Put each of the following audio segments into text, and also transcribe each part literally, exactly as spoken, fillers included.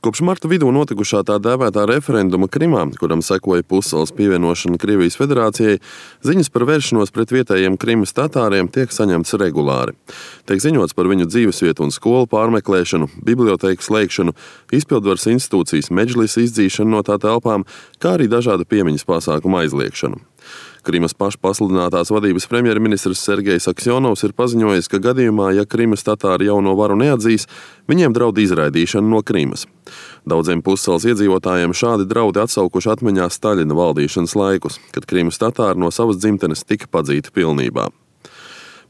Kopš marta vidū notikušā tā dēvētā referenduma Krimā, kuram sekoja pussalas pievienošana Krievijas federācijai, ziņas par vēršanos pret vietējiem Krimas tatāriem tiek saņemtas regulāri. Tiek ziņots par viņu dzīvesvietu un skolu pārmeklēšanu, bibliotēku slēgšanu, izpildvaras institūcijas medžlis izdzīšanu no tā telpām, kā arī dažādu piemiņas pasākumu aizliekšanu. Krimas pašpasludinātās vadības premjerministrs Sergejs Aksjonovs ir paziņojis, ka gadījumā, ja Krimas tatāri jauno varu neatzīs, viņiem draud izraidīšana no Krimas. Daudziem pussalas iedzīvotājiem šādi draudi atsaukuši atmiņā Staļina valdīšanas laikus, kad Krimas tatāri no savas dzimtenes tika padzīti pilnībā.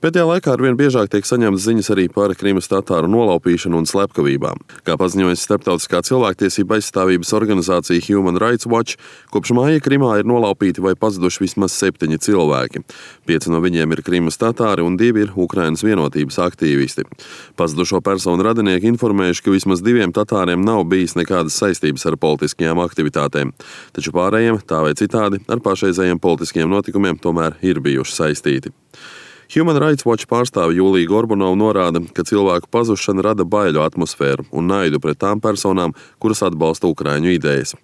Pēdējā laikā arvien biežāk tiek saņemtas ziņas arī par Krimas tatāru nolaupīšanu un slepkavībām. Kā paziņojas starptautiskā cilvēktiesība aizstāvības organizācija Human Rights Watch, kopš māja Krimā ir nolaupīti vai pazuduši vismaz septiņi cilvēki. Pieci no viņiem ir Krimas tatāri un divi ir Ukrainas vienotības aktīvisti. Pazudušo personu radinieki informējuši, ka vismaz diviem tatāriem nav bijis nekādas saistības ar politiskajām aktivitātēm, taču pārējiem, tā vai citādi, ar pašreizējiem politiskiem notikumiem tomēr ir bijuši saistīti. Human Rights Watch pārstāve Julija Gorbunova norāda, ka cilvēku pazušana rada baiļu atmosfēru un naidu pret tām personām, kuras atbalsta Ukraiņu idejas.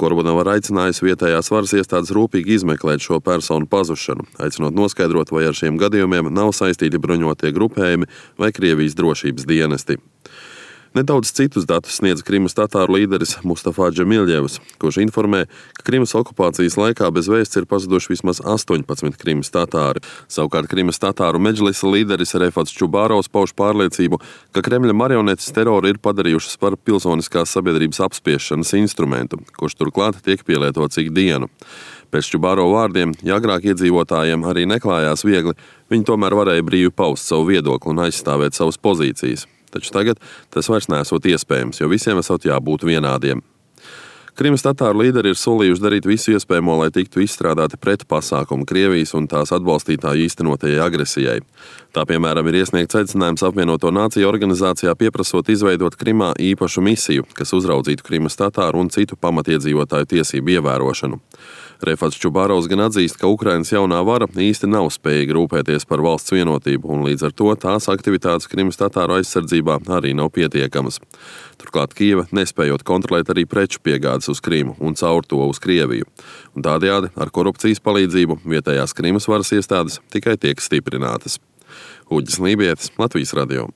Gorbunova ir aicinājusi vietējās varas iestādes rūpīgi izmeklēt šo personu pazušanu, aicinot noskaidrot, vai ar šiem gadījumiem nav saistīti bruņotie grupējumi vai Krievijas drošības dienesti. Nedaudz citus datus sniedz Krimas tatāru līderis Mustafa Džemiļjevs, kurš informē, ka Krimas okupācijas laikā bez vēsts ir pazuduši vismaz astoņpadsmit Krimas tatāri. Savukārt Krimas tatāru medžlisa līderis Refats Čubārovs pauž pārliecību, ka Kremļa marionetes teroru ir padarījušas par pilsoniskās sabiedrības apspiešanas instrumentu, kurš turklāt tiek pielietots ikdienu. Pēc Čubārova vārdiem, ja agrāk iedzīvotājiem arī neklājās viegli, viņi tomēr varēja brīvi paust savu viedokli un aizstāvēt savas pozīcijas. Taču tagad tas vairs nesot iespējams, jo visiem esot jābūt vienādiem. Krimas tatāru līderi ir solījuši darīt visu iespējamo, lai tiktu izstrādāti pretpasākumi Krievijas un tās atbalstītāju īstenotajai agresijai. Tā, piemēram, ir iesniegts aicinājums apvienoto nāciju organizācijā pieprasot izveidot Krimā īpašu misiju, kas uzraudzītu Krimas tatāru un citu pamatiedzīvotāju tiesību ievērošanu. Refats Čubārovs gan atzīst, ka Ukrainas jaunā vara īsti nav spējīga rūpēties par valsts vienotību, un līdz ar to tās aktivitātes Krimas tatāru aizsardzībā arī nav pietiekamas. Turklāt Kijeva nespējot kontrolēt arī preču piegādes uz Krimu un caur to uz Krieviju. Un tādējādi ar korupcijas palīdzību vietējās Krimas varas iestādes tikai tiek stiprinātas. Uģis Lībietis, Latvijas radio.